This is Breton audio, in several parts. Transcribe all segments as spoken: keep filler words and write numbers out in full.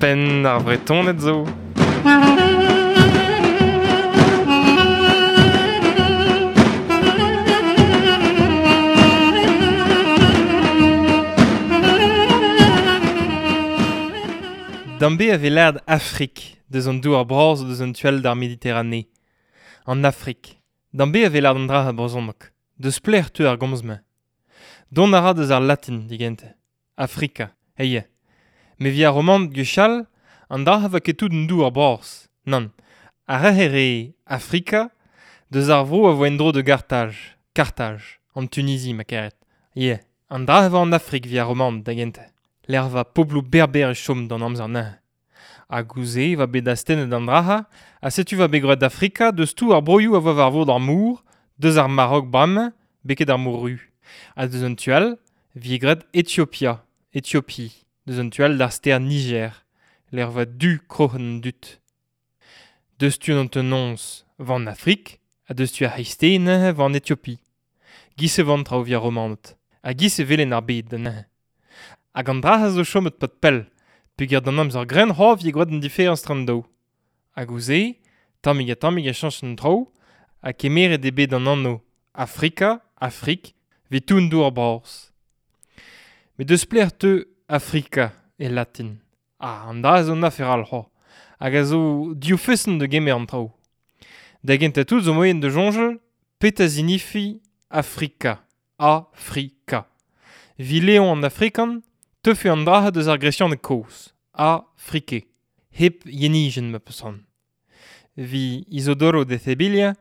Penn ar Vretoned zo. Dambe a vez lâret Afrik, deus an douar bras deus an tu all d'ar Mediterranée. An Afrik. Dambe a vez lâret an dra a brezhoneg. Deus plec'h teu ar gomz-mañ. Dont a ra deus ar latin, digente. Afrika, heie. Me vi ar romant gwechall, an dra a va ket tout an douar bras. Nann. Ar re re Afrika, deus ar vro a vo en-dro de Gartaj. Kartaj, an Tunisie, ma karet. Ie, an dra a vo an Afrik vi ar romant, da gente. L'er va poblou berber e chom d'an amzer neuze. Hag ouzh va bet astennet an draha, ha setu va bet gwraet d'Afrika deus tout ar broioù a vo war vor d'ar mor, deus ar Marok bremañ, beket ar mor ru. Ha deus an tu all, vi graet Ethiopia, Ethiopie, deus an tu all d'ar stêr Niger, l'er va du kroc'hen dut. Deus tu an tenons van Afrik, ha deus tu ar c'hreisteiz neuze van Ethiopie. Giz e van traoù via romanet, ha giz e velen ar bed da neuze. Hag an dra a zo chomet pat pell, peogwir d'an amzer grenn c'hoazh vi gwraet an diferañs tre an daou. Hag ouzh-se, tammig ha tammig e chañch an traoù, ha kemeret eo bet an anv Afrika, Afrik, evit tout an douar bras. Met deus pelec'h teu Afrika e latin. Ah, an dra a zo an afer all c'hoazh. Hag a zo div feson da gemer an traoù. Da gentañ tout zo moaien da soñjal petra zinifi Afrika. Afrika. Vi Leon an Afrikan, teufe an dra deus ar gresianeg kozh. Afrike. Hep yenijenn ma peus c'hoant. Vi Isodoro de Sevilla,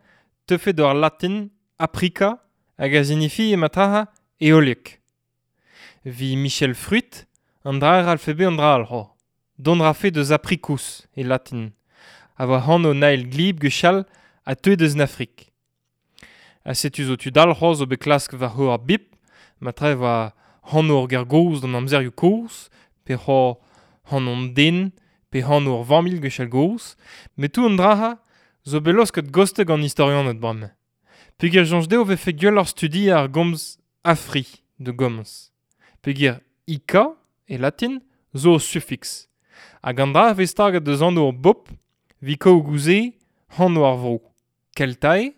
teufe d'ar latin Aprika hag a zinifi ema traha eoliek. Vi Michel Fruit, an dra ar alfabet an dra al c'hoazh. Dont rafe deus apricus e latin. A voa anv Nael glib gwechall ha teu deus an Afrik. Ha setu zo tud all c'hoazh zo bet klask war c'hoar ar bip, ma tre voa anv ur ger gozh d'an amzerioù kozh, pe c'hoazh anv an den, pe anv ur familh gwechall gozh, met tout an dra-ha zo bet laosket gostek an istorianed bremañ. Peogwir soñj dezho vefe gwelloc'h studiañ ar gomz Afri da gomz. Peogwir ika, e latin, zo ur suffiks. Hag an dra a vez staget deus anv ur bobl, vi kaout gouze anv ar vro. Keltae,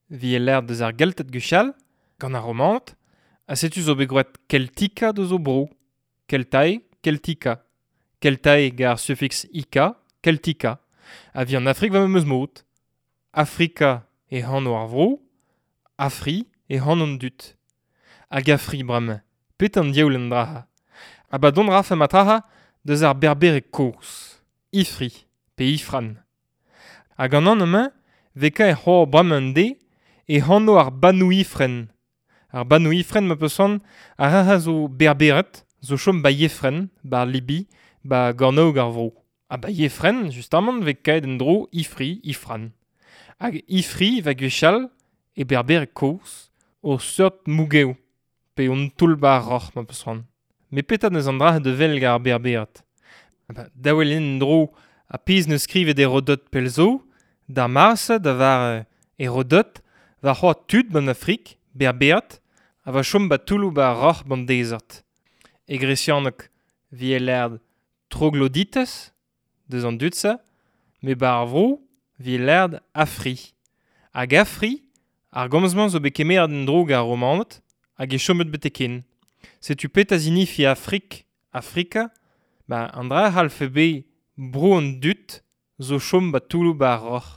vi e lâret deus ar Gelted gwechall, gant ar Romaned, ha setu zo bet gwraet Keltika deus o bro. Keltae, Keltika. Keltae gant ar suffiks ika, Keltika. Ha vi an Afrik va memes mod. Afrika e anv ar vro, Afri e anv an dud. Hag Afri bremañ, petra an diaoul an dra-ha. Ha ba dont rafe ma traha deus ar berbereg kozh. Ifri, pe Ifran. Hag an anv-mañ, vez kaer c'hoazh bremañ an deiz, e anv ar Banou Ifren. Ar Banou Ifren ma peus c'hoant, ar re zo berbered, zo chom ba Yefren, ba Libi, ba gornaoueg ar vro. Ha ba Yefren, justamant, vez kaet en-dro Ifri, Ifran. Hag Ifri va gwechall, e berbereg kozh, o seurt mougev, pe on toull ba ar roc'h ma peus c'hoant. Met petra neus an dra da wel gant ar berbered. Ha ba, daou eo en-dro ha pezh neus skrivet Herodot pell zo, d'ar mars da var Herodot, war c'hoazh tud ban Afrik, berbered, ha va chom ba toulloù ba ar roc'h ban dezert. E gresianeg vi e lâret troglodites, deus an dud-se, met ba ar vro vi e lâret Afri. Hag Afri, ar gomz-mañ zo bet kemeret en-dro gant ar Romaned, hag e chomet betek ken. Setu petra zinifi Afrik, Afrika, ba an dra c'hallfe bet bro an dud zo chom ba toulloù ba ar roc'h.